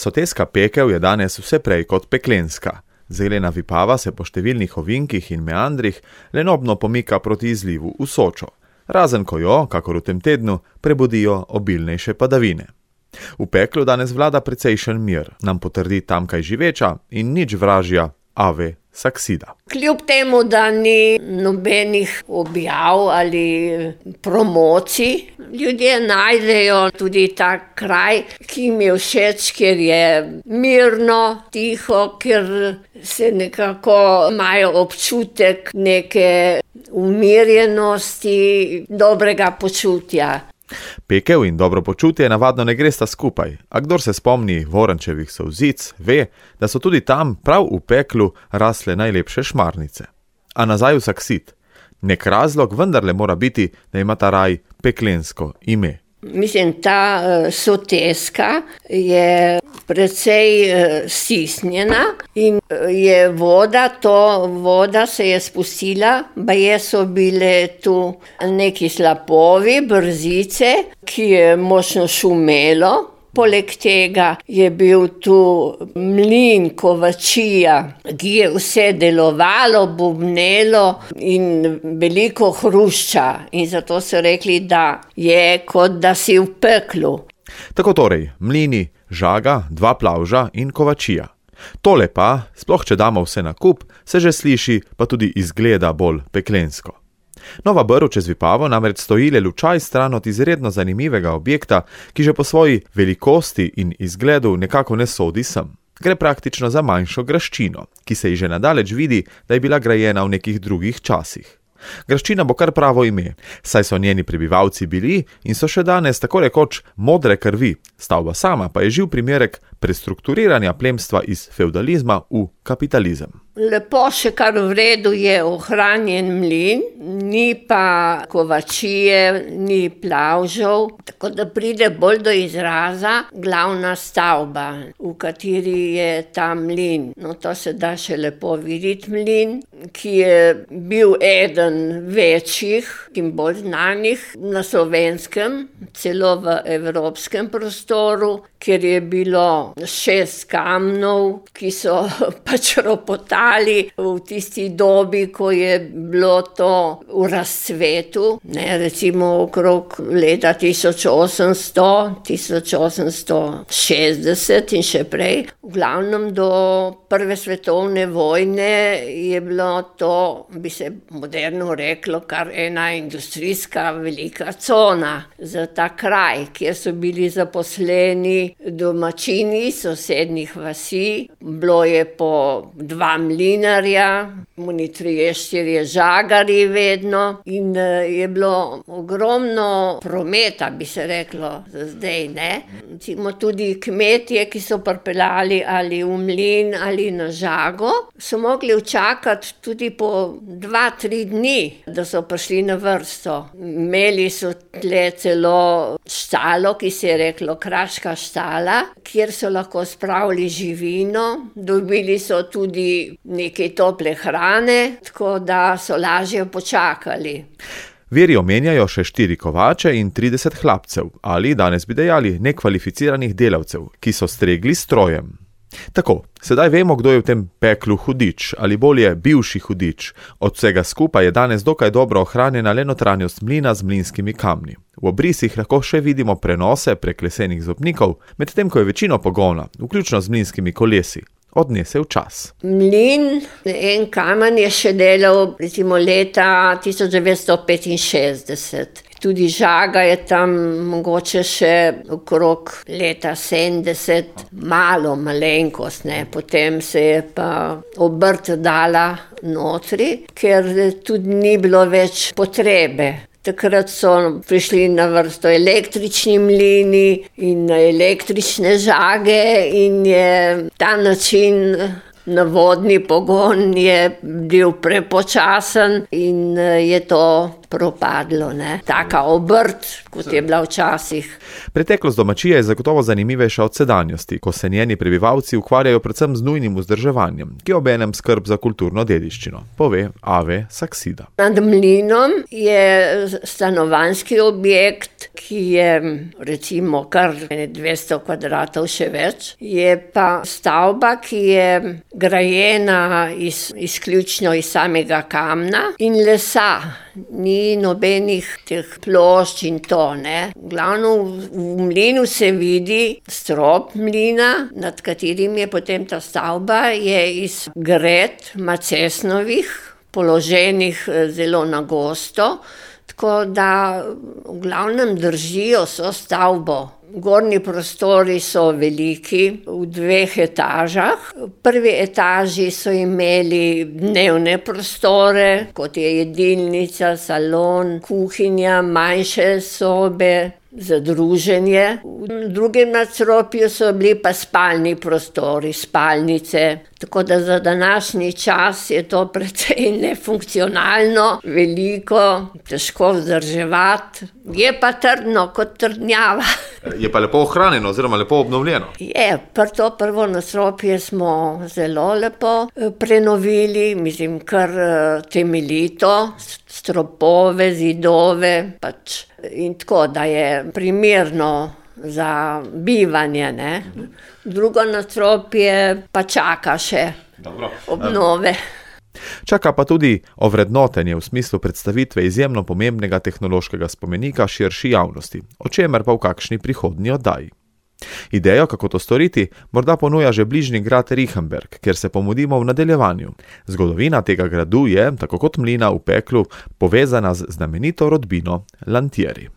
Soteska pekel je danes vse prej kot peklenska. Zelena Vipava se po številnih ovinkih in meandrih lenobno pomika proti izlivu v Sočo, razen ko jo, kakor v tem tednu, prebudijo obilnejše padavine. V peklu danes vlada precejšen mir, nam potrdi tamkaj živeča in nič vražja Ave Saksida. Kljub temu, da ni nobenih objav ali promocij, ljudje najdejo tudi ta kraj, ki jim je všeč, ker je mirno, tiho, ker se nekako imajo občutek neke umirjenosti, dobrega počutja. Pekel in dobro počutje navadno ne gresta skupaj, a kdor se spomni Vorančevih solzic, ve, da so tudi tam prav v peklu rasle najlepše šmarnice. A nazaj v Saksid. Nek razlog vendarle mora biti, da ima ta raj peklensko ime. Mislim, ta Soteska je precej stisnjena in je voda se je spustila, baje so bile tu neki slapovi, brzice, ki je močno šumelo. Poleg tega je bil tu mlin, kovačija, ki je vse delovalo, bubnelo in veliko hrušča. In zato so rekli, da je kot da si v peklu. Tako torej, mlini, žaga, 2 plavža in kovačija. Tole pa, sploh če damo vse na kup, se že sliši, pa tudi izgleda bolj peklensko. Nova Brv čez Vipavo namreč stoji le lučaj stran od izredno zanimivega objekta, ki že po svoji velikosti in izgledu nekako ne sodi sem. Gre praktično za manjšo graščino, ki se ji že nadaleč vidi, da je bila grajena v nekih drugih časih. Graščina bo kar pravo ime, saj so njeni prebivalci bili in so še danes tako rekoč modre krvi, stavba sama pa je živ primerek prestrukturiranja plemstva iz fevdalizma v kapitalizem. Lepo še kar v redu je ohranjen mlin, ni pa kovačije, ni plavžev, tako da pride bolj do izraza glavna stavba, v kateri je ta mlin. No, to se da še lepo videti mlin, ki je bil eden večjih in bolj znanih na Slovenskem, celo v evropskem prostoru, ker je bilo 6 kamnov, ki so pač ropotali v tisti dobi, ko je bilo to v razcvetu, recimo okrog leta 1800, 1860 in še prej. V glavnem do Prve svetovne vojne je bilo to, bi se moderno reklo, kar ena industrijska velika cona za ta kraj, kjer so bili zaposleni domačini sosednjih vasi. Bilo je po 2 mlinarja, oni 3-4 žagarji vedno in je bilo ogromno prometa, bi se reklo zdaj, ne. Recimo tudi kmetje, ki so pripeljali ali v mlin ali na žago, so mogli čakati tudi po 2-3 dni, da so prišli na vrsto. Imeli so tle celo štalo, ki se je reklo kraška štala, kjer so lahko spravili živino, dobili so tudi nekaj tople hrane, tako da so lažje počakali. Viri omenjajo še 4 kovače in 30 hlapcev, ali danes bi dejali nekvalificiranih delavcev, ki so stregli strojem. Tako, sedaj vemo, kdo je v tem peklu hudič, ali bolje bivši hudič. Od vsega skupaj je danes dokaj dobro ohranjena le notranjost mlina z mlinskimi kamni. V obrisih lahko še vidimo prenose prek lesenih zobnikov, medtem ko je večino pogona, vključno z mlinskimi kolesi, odnesel čas. Mlin, en kamen je še delal recimo leta 1965. Tudi žaga je tam mogoče še okrog leta 70, malenkost, ne. Potem se je pa obrt dala notri, ker tudi ni bilo več potrebe. Takrat so prišli na vrsto električni mlini in električne žage in je ta način na vodni pogon je bil prepočasen in je to propadlo, ne. Taka obrt, kot je bila včasih. Preteklost domačije je zagotovo zanimivejša od sedanjosti, ko se njeni prebivalci ukvarjajo predvsem z nujnim vzdrževanjem, ki obenem skrb za kulturno dediščino, pove Ave Saksida. Nad mlinom je stanovanjski objekt ki je recimo kar 200 kvadratov še več. Je pa stavba, ki je grajena izključno iz samega kamna in lesa. Ni nobenih teh plošč in to, ne. Glavno v mlinu se vidi strop mlina, nad katerim je potem ta stavba, je iz gred macesnovih, položenih zelo na gosto, tako da v glavnem držijo so stavbo. Gornji prostori so veliki, v 2 etažah. V prvi etaži so imeli dnevne prostore, kot je jedilnica, salon, kuhinja, manjše sobe za druženje. V drugem nadstropju so bili pa spalni prostori, spalnice. Tako da za današnji čas je to precej nefunkcionalno, veliko, težko vzdrževati. Je pa trdno kot trdnjava. Je pa lepo ohranjeno oziroma lepo obnovljeno. Je, to prvo nadstropje smo zelo lepo prenovili, mislim, kar temeljito, stropove, zidove, in tako, da je primerno za bivanje, ne. Drugo nadstropje pa čaka še obnove. Čaka pa tudi ovrednotenje v smislu predstavitve izjemno pomembnega tehnološkega spomenika širši javnosti, o čemer pa v kakšni prihodnji oddaji. Idejo, kako to storiti, morda ponuja že bližnji grad Riechenberg, kjer se pomudimo v nadaljevanju. Zgodovina tega gradu je, tako kot mlina v Peklu, povezana z znamenito rodbino Lantieri.